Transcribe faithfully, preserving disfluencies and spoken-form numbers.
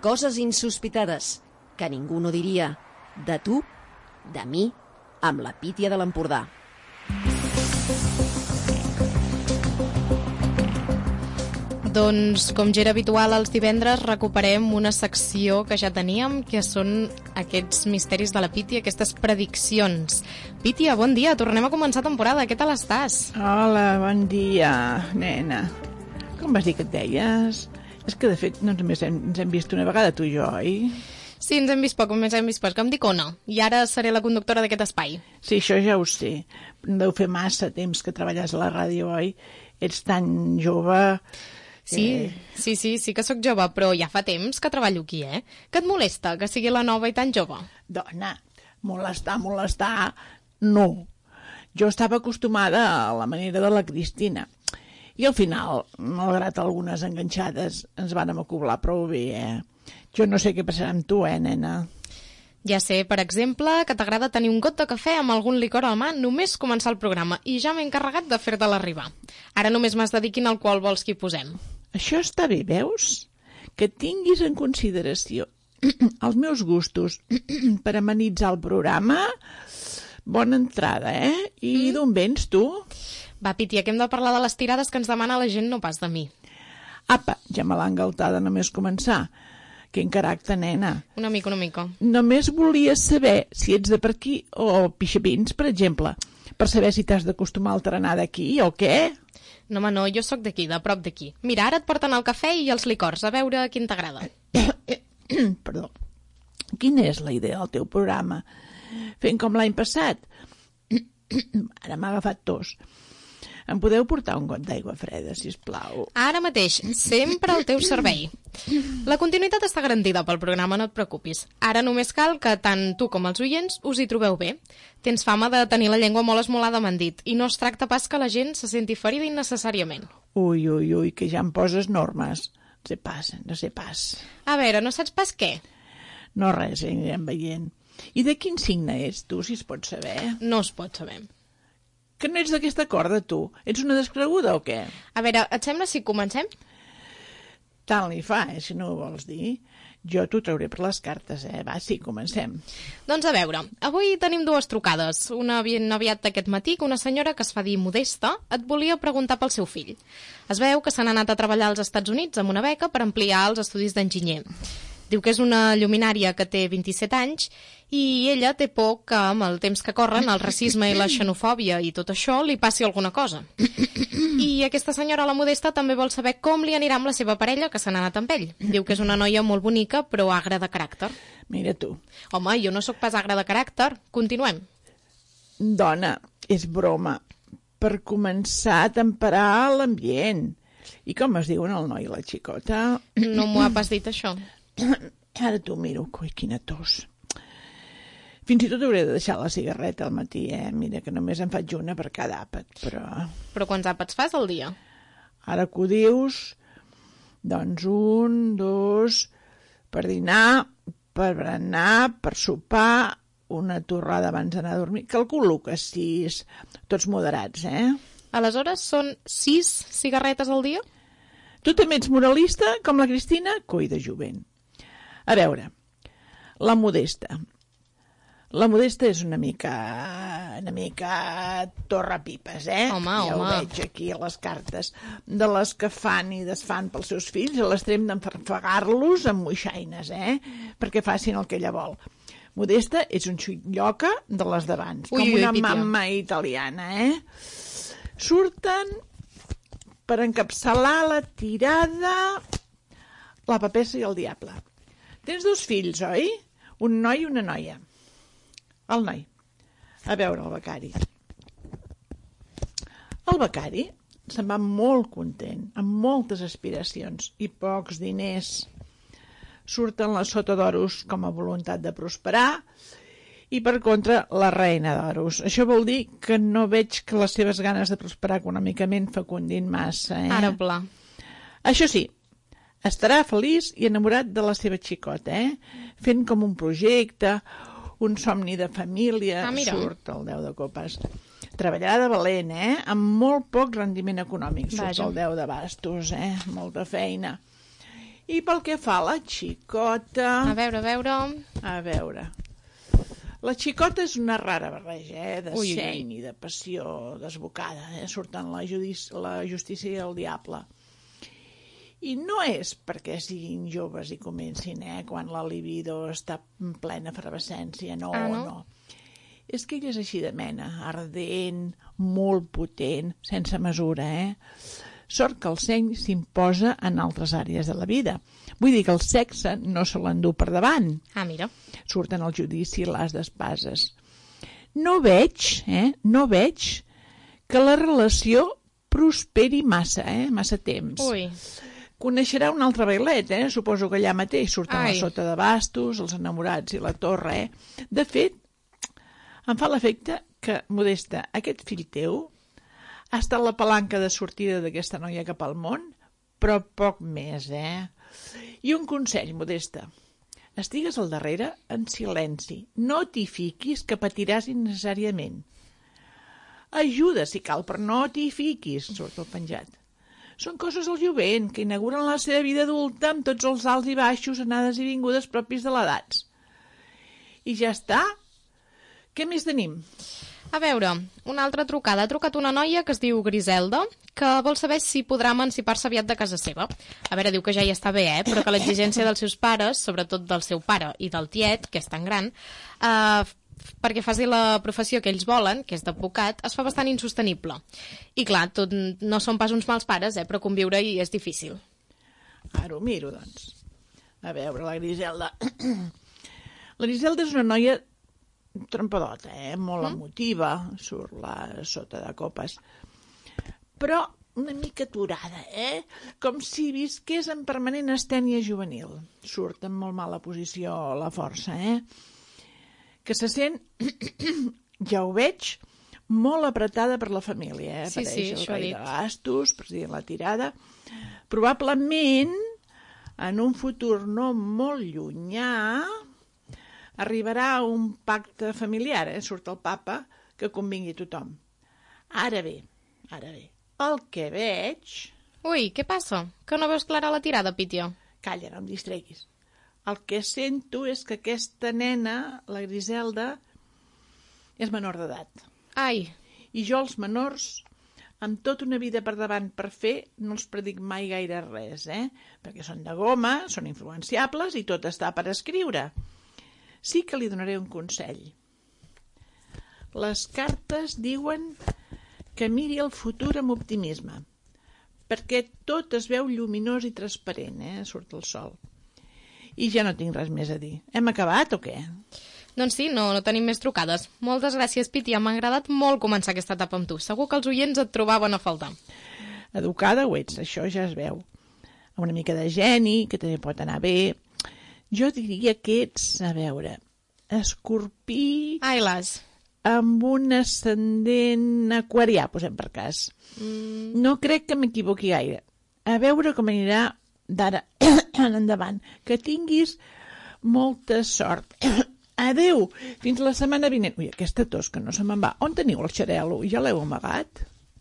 coses insospitades que ningú no diria. De tu, de mi, amb la Pítia de l'Empordà. Doncs, com ja era habitual els divendres, recuperem una secció que ja teníem, que són aquests misteris de la Pítia, aquestes prediccions. Pítia, bon dia, tornem a començar temporada, què tal estàs? Hola, bon dia, nena. Com vas dir que et deies? És que, de fet, no només hem, ens hem vist una vegada, tu i jo, oi? Sí, ens hem vist poc, només hem vist poc, que em dic Ona, i ara seré la conductora d'aquest espai. Sí, això ja ho sé. Deu fer massa temps que treballes a la ràdio, oi? Ets tan jove... Sí, eh... sí, sí, sí que sóc jove, però ja fa temps que treballo aquí, eh? Que et molesta que sigui la nova i tan jove? Dona, molestar, molestar, no. Jo estava acostumada a la manera de la Cristina. I al final, malgrat algunes enganxades, ens vàrem acoblar prou bé, eh? Jo no sé què passarà amb tu, eh, nena? Ja sé, per exemple, que t'agrada tenir un got de cafè amb algun licor a la mà només començar el programa i ja m'he encarregat de fer-te l'arribar. Ara només m'has de dir quin alcohol vols que hi posem. Això està bé, veus? Que tinguis en consideració els meus gustos per amenitzar el programa. Bona entrada, eh? I mm. d'on vens, tu? Va, Pítia, que hem de parlar de les tirades que ens demana la gent, no pas de mi. Apa, ja me l'ha engaltada només començar. Quin caràcter, nena. Una mica, una mica. Només volia saber si ets de per aquí o Pixapins, per exemple, per saber si t'has d'acostumar a alternar d'aquí o què. No, home, no, jo sóc d'aquí, de prop d'aquí. Mira, ara et porten el cafè i els licors, a veure quin t'agrada. Perdó. Quina és la idea del teu programa? Fent com l'any passat? Ara m'ha agafat tos. Em podeu portar un got d'aigua freda, sisplau? Ara mateix, sempre al teu servei. La continuïtat està garantida pel programa, no et preocupis. Ara només cal que tant tu com els oients us hi trobeu bé. Tens fama de tenir la llengua molt esmolada, m'han dit, i no es tracta pas que la gent se senti ferida innecessàriament. Ui, ui, ui, que ja em poses normes. No sé pas, no sé pas. A veure, no saps pas què? No res, anirem veient. I de quin signe ets tu, si es pot saber? No es pot saber. Que no ets d'aquesta corda, tu? Ets una descreguda o què? A veure, et sembla si comencem? Tant li fa, eh, si no ho vols dir. Jo t'ho trauré per les cartes, eh? Va, sí, comencem. Doncs a veure, avui tenim dues trucades. Una ben aviat d'aquest matí, que una senyora que es fa dir Modesta et volia preguntar pel seu fill. Es veu que s'han anat a treballar als Estats Units amb una beca per ampliar els estudis d'enginyer. Diu que és una lluminària que té vint-i-set anys i ella té por que amb el temps que corren el racisme i la xenofòbia i tot això li passi alguna cosa. I aquesta senyora, la Modesta, també vol saber com li anirà amb la seva parella que se n'ha anat amb ell. Diu que és una noia molt bonica però agra de caràcter. Mira tu. Home, jo no sóc pas agra de caràcter. Continuem. Dona, és broma. Per començar a temperar l'ambient. I com es diuen el noi i la xicota? No m'ho ha pas dit això. Ara t'ho miro. Coi, quina tos. Fins i tot hauré de deixar la cigarreta al matí, eh? Mira que només en faig una per cada àpat, però... Però quants àpats fas al dia? Ara que ho dius, doncs un, dos, per dinar, per berenar, per sopar, una torrada abans d'anar a dormir. Calculo que sis, tots moderats, eh? Aleshores són sis cigarretes al dia? Tu també ets moralista, com la Cristina? Coi de jovent. A veure, la Modesta. La Modesta és una mica... una mica torrapipes, eh? Home, ja home. ho veig aquí a les cartes. De les que fan i desfan pels seus fills a l'extrem d'enfarfegar-los amb moixaines, eh? Perquè facin el que ella vol. Modesta és un xulloca de les d'abans, com ui, ui, una Pítia. mamma italiana, eh? Surten per encapçalar la tirada la papessa i el diable. Tens dos fills, oi? Un noi i una noia. El noi. A veure el becari. El becari se'n va molt content, amb moltes aspiracions i pocs diners. Surten les sota d'oros com a voluntat de prosperar i, per contra, la reina d'oros. Això vol dir que no veig que les seves ganes de prosperar econòmicament fecundin massa, eh? Ara pla. Això sí, estarà feliç i enamorat de la seva xicota, eh? Fent com un projecte, un somni de família. Ah, mira. Surt el deu de copes. Treballarà de valent, eh? Amb molt poc rendiment econòmic. Surt Vaja. el deu de bastos, eh? Molta feina. I pel que fa a la xicota... A veure, a veure... A veure... La xicota és una rara barreja, eh? De Ui, ui, seny i de passió desbocada, eh? Surten la, judici... la justícia i el diable. I no és perquè siguin joves i comencin, eh? Quan la libido està en plena efervescència, no, ah, no? no. És que ella és així de mena, ardent, molt potent, sense mesura, eh? Sort que el seny s'imposa en altres àrees de la vida. Vull dir que el sexe no se l'endú per davant. Ah, mira. Surten al judici l'as d'espases. No veig, eh, no veig que la relació prosperi massa, eh, massa temps. Ui. Coneixerà un altre bailet, eh? Suposo que allà mateix surten Ai. la sota de bastos, els enamorats i la torre, eh? De fet, em fa l'efecte que, Modesta, aquest fill teu ha estat la palanca de sortida d'aquesta noia cap al món, però poc més, eh? I un consell, Modesta. Estigues al darrere en silenci. No t'hi fiquis, que patiràs innecessàriament. Ajuda, si cal, però no t'hi fiquis, surt el penjat. Són coses del jovent, que inauguren la seva vida adulta amb tots els alts i baixos, anades i vingudes propis de l'edats. I ja està? Què més tenim? A veure, una altra trucada. Ha trucat una noia que es diu Griselda, que vol saber si podrà emancipar-se aviat de casa seva. A veure, diu que ja hi està bé, eh? Però que l'exigència dels seus pares, sobretot del seu pare i del tiet, que és tan gran, eh, perquè faci la professió que ells volen, que és d'advocat, es fa bastant insostenible. I clar, tot, no són pas uns mals pares, eh? Però conviure-hi és difícil. Ara ho miro, doncs. A veure, la Griselda... La Griselda és una noia trempadota, eh? Molt mm? emotiva, surt la sota de copes, però una mica aturada, eh? Com si visqués en permanent astènia juvenil. Surt en molt mala posició la força, eh? Que se sent, ja ho veig, molt apretada per la família, eh? Sí, Apareix sí, el això ha rei dit. de bastos, president la tirada. Probablement, en un futur no molt llunyà, arribarà un pacte familiar, eh? Surt el papa, que convingui a tothom. Ara bé, ara bé, el que veig... Ui, què passa? Que no veus clara la tirada, Pítia? Calla, no em distreguis. El que sento és que aquesta nena, la Griselda, és menor d'edat. Ai, I jo els menors, amb tota una vida per davant per fer, no els predic mai gaire res, eh? Perquè són de goma, són influenciables i tot està per escriure. Sí que li donaré un consell. Les cartes diuen que miri el futur amb optimisme, perquè tot es veu lluminós i transparent, eh? Surt el sol. I ja no tinc res més a dir. Hem acabat o què? doncs sí, no, no tenim més trucades. Moltes gràcies, Pítia, m'ha agradat molt començar aquesta etapa amb tu. Segur que els oients et trobaven a faltar. Educada ho ets, això ja es veu. Una mica de geni, que també pot anar bé. Jo diria que ets, a veure, escorpí... Ai, las. Amb un ascendent aquarià, posem per cas. Mm. No crec que m'equivoqui gaire. A veure com anirà d'ara en endavant. Que tinguis molta sort. Adeu, fins la setmana vinent. Ui, aquesta tos que no se me'n va. On teniu el xarel·lo? Ja l'heu amagat?